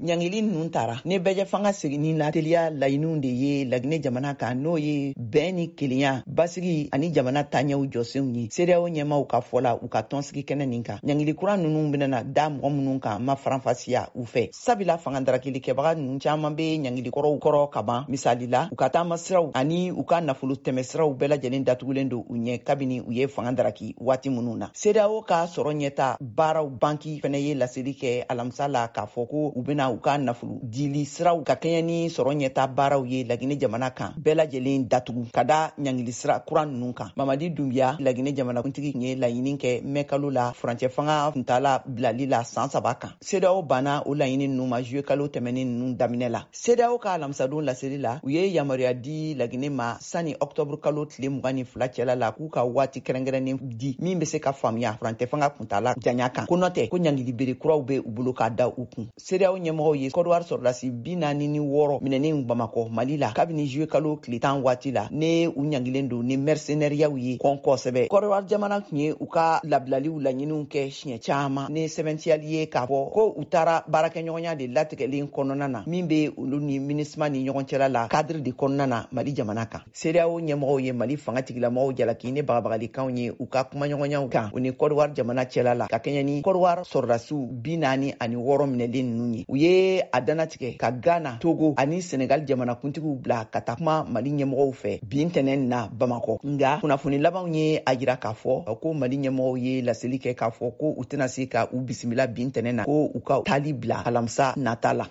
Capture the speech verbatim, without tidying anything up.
Ɲangili ninnu tara ni bɛɛjɛfanga seginni la teliya laɲiniw de ye Laginɛ jamana kan, n'o ye bɛn ni kelenya, basigi ani jamana taɲɛw jɔsenw ye, CEDEAO ɲɛmaw ka fɔ la u ka tɔnsigi kɛnɛ nin kan. Ɲangili kura ninnu bɛna da mɔgɔ minnu kan, ma faranfasiya u fɛ, sabula fanga darakilikɛbaga ninnu caman bɛ ɲangili kɔrɔw kɔrɔ ka ban. Misali la, u ka taamasiraw ani u ka nafolo tɛmɛsiraw bɛɛ lajɛlen datugulen don u ɲɛ kabini u ye fanga daraki waati minnu na. CEDEAO ka sɔrɔ ɲɛta baaraw banki fɛnɛ ye laseli kɛ alamisa la k'a fɔ ko u bɛna u ka nafolo dili siraw ka kɛɲɛ ni sɔrɔ ɲɛta baaraw ye Laginɛ jamana kan bɛɛ lajɛlen datugu ka da ɲangili sira kura ninnu kan. Mamadi Dunbiya, Laginɛ jamanakuntigi, ye laɲini kɛ mɛkalo la furancɛ fanga kuntala bilali la san saba kan. CEDEAO banna o laɲini ninnu ma juillet kalo tɛmɛnen ninnu daminɛ la. CEDEAO ka alamisadon laseli la, u ye yamaruya di Laginɛ ma sani ɔktɔburu kalo tile mugan ni fila cɛla la, k'u ka waati kɛrɛnkɛrɛnnen di min bɛ se ka faamuya furancɛ fanga kuntala janya kan, ko nɔ tɛ ko ɲangili bere kuraw bɛ u bolo k'a da u kun. CEDEAO ɲɛmɔgɔw ye Kɔdiwari sɔrɔdasi bi naani ni wɔɔrɔ minɛnen Bamakɔ, Mali la, kabini juillet kalo tile tan waati la, ne u ɲangilen don ni mercenariyaw ye kɔn kosɛbɛ. Kɔdiwari jamana tun ye u ka labilaliw laɲiniw kɛ siɲɛ caman ni sɛbɛntiyali ye k'a fɔ ko u taara baarakɛɲɔgɔnya de latigɛlen kɔnɔna na min bɛ olu ni MINUSMA ni ɲɔgɔn cɛla la cadre de kɔnɔna na Mali jamana kan. CEDEAO ɲɛmɔgɔw ye Mali fanga tigilamɔgɔw jalaki ni bagabagalikanw ye u ka kumaɲɔgɔnyaw kan u ni Kɔdiwari jamana cɛla la, ka kɛɲɛ ni Kɔdiwari sɔrɔdasiw bi naani ani wɔɔrɔ minɛlen ninnu ye. U ye a danatigɛ ka Ghana, Togo ani Senegal jamanakuntigiw bila ka taa kuma Mali ɲɛmɔgɔw fɛ bi ntɛnɛn na Bamakɔ. Nga kunnafoni labanw ye a jira k'a fɔ ko Mali ɲɛmɔgɔw ye laseli kɛ k'a fɔ ko u tɛna se ka u bisimila bi ntɛnɛn na, ko u ka taali bila alamisa nata la.